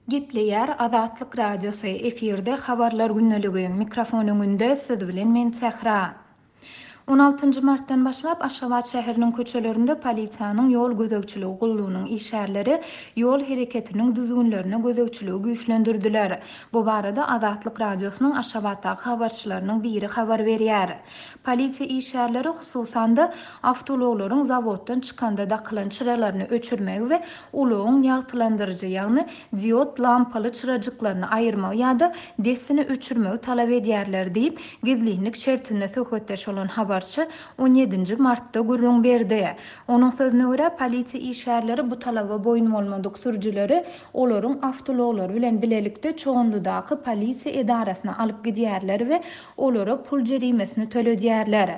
Gepleýär Azatlyk Radiosy, efirde Habarlar gündeligi, mikrofon öňünde siz bilen men Sähra. On altynjy martdan başlap Aşgabat şäheriniň köçelerinde polisiýanyň ýol gözegçiligi gullugynyň işgärleri ýol hereketiniň düzgünlerine gözegçiligi güýçlendirdiler. Bu barada Azatlyk Radiosynyň Aşgabatdaky habarçylarynyň biri habar berýär. Polisiýa işgärleri, hususan-da, awtoulaglaryň zawoddan çykanda dakylan çyralaryny öçürmegi we ulagyň ýagtylandyryjy, ýagny diod lampaly çyrajyklaryny aýyrmagy ýa-da dessine öçürmegi talap edýärler diýip, gizlinlik şertinde söhbetdeş bolan habarçy on ýedinji martda gürrüň berdi. Onuň sözüne görä, polisiýa işgärleri bu talaba boýun bolmadyk sürüjileri olaryň awtoulaglary bilen bilelikde Çoganlydaky polisiýa edarasyna alyp gidýärler we olara pul jerimesini töledýärler.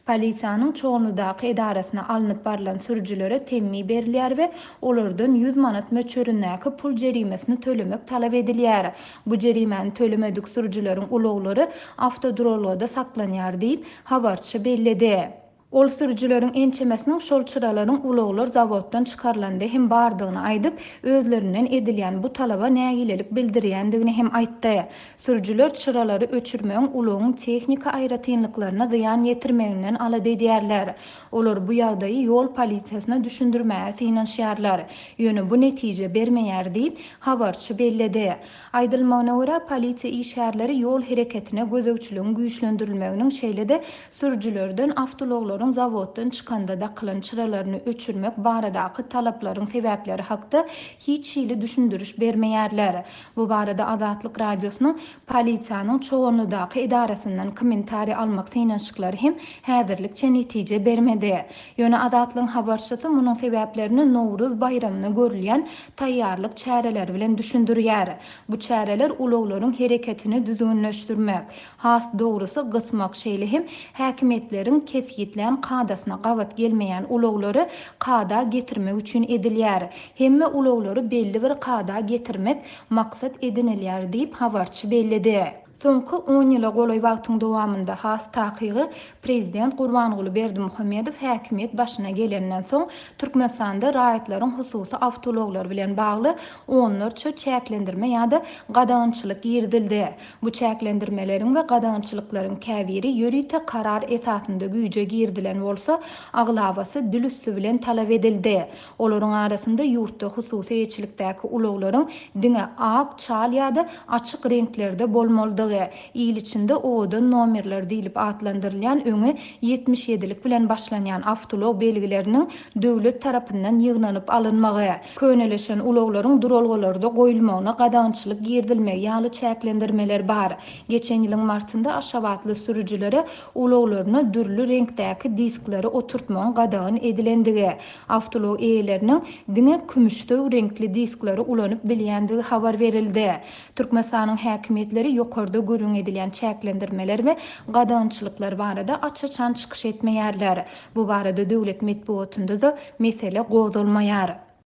Polisiýanyň Çoganlydaky edarasyna alnyp barlan sürüjilere temmi berilýär we olardan 100 manat möçberindäki pul jerimesini tölemek talap edilýär. Bu jerimäni tölemedik sürüjileriň ulaglary awtoduralgada saklanýar diýip, habarçy belledi. Ol sürüjileriň ençemesiniň şol çyralaryň ulaglar zawoddan çykarylanda hem bardygyny aýdyp, özlerinden edilýän bu talaba nägilelik bildirýändigini hem aýtdy. Sürüjiler çyralary öçürmegiň ulagyň tehniki aýratynlyklaryna zyýan ýetirmeginden alada edýärler. Olar bu ýagdaýy ýol polisiýasyna düşündirmäge synanyşýarlar. Ýöne bu netije bermeýär diýip, habarçy belledi. Aýdylmagyna görä, polisiýa işgärleri ýol hereketine gözegçiligiň güýçlendirilmeginiň, şeýle-de sürüjilerden awtoulaglaryň zawoddan çykanda dakylan çyralaryny öçürmek baradaky talaplaryň sebäpleri hakda hiç hili düşündiriş bermeýärler. Bu barada Azatlyk Radiosynyň polisiýanyň Çoganlydaky edarasyndan kommentariý almak synanyşyklary hem häzirlikçe netije bermedi. Ýöne Azatlygyň habarçysy munuň sebäplerini Nowruz baýramyna görülýän taýýarlyk çäreleri bilen düşündirýär. Bu çäreler ulaglaryň hereketini düzgünleşdirmek, has dogrusy gysmak, şeýle hem häkimiýetleriň kesgitlän kadasyna gabat gelmeýän ulaglary kada getirmek üçin edilýär. Hemme ulaglary belli bir kada getirmek maksat edinilýär diýip, habarçy belledi. Soňky on ýyla golaý wagtyň dowamynda, has takygy, prezident Gurbanguly Berdimuhamedow häkimiýet başyna gelenden soň, Türkmenistanda raýatlaryň hususy awtoulaglary bilen bagly onlarça çäklendirme ýa-da gadagançylyk girizildi. Bu çäklendirmeleriň we gadagançylyklaryň käbiri ýörite karar esasynda güýje girizilen bolsa, aglabasy dil üsti bilen talap edildi. Olaryň arasynda ýurtda hususy eýeçilikdäki ulaglaryň diňe ak, çal ýa-da açyk reňklerde bolmalydygy, il içinde owadan nomerler diýlip atlandyrylýan öňi 77-lik bilen başlanýan awtoulag belgileriniň döwlet tarapyndan ýygnanyp alynmagy, könelişen ulaglaryň duralgalarda goýulmagyna gadagançylyk girizilmegi ýaly çäklendirmeler bar. Geçen ýylyň martynda aşgabatly sürüjilere ulaglaryna dürli reňkdäki diskleri oturtmagyň gadagan edilendigi, awtoulag eýeleriniň diňe kümüşsöw reňkli diskleri ulanyp bilýändigi habar berildi. Türkmenistanyň häkimiýetleri ýokarda gürrüň edilýän çäklendirmeler we gadagançylyklar barada aç-açan çykyş etmeýärler. Bu barada döwlet metbugatynda-da mesele gozgalmaýar.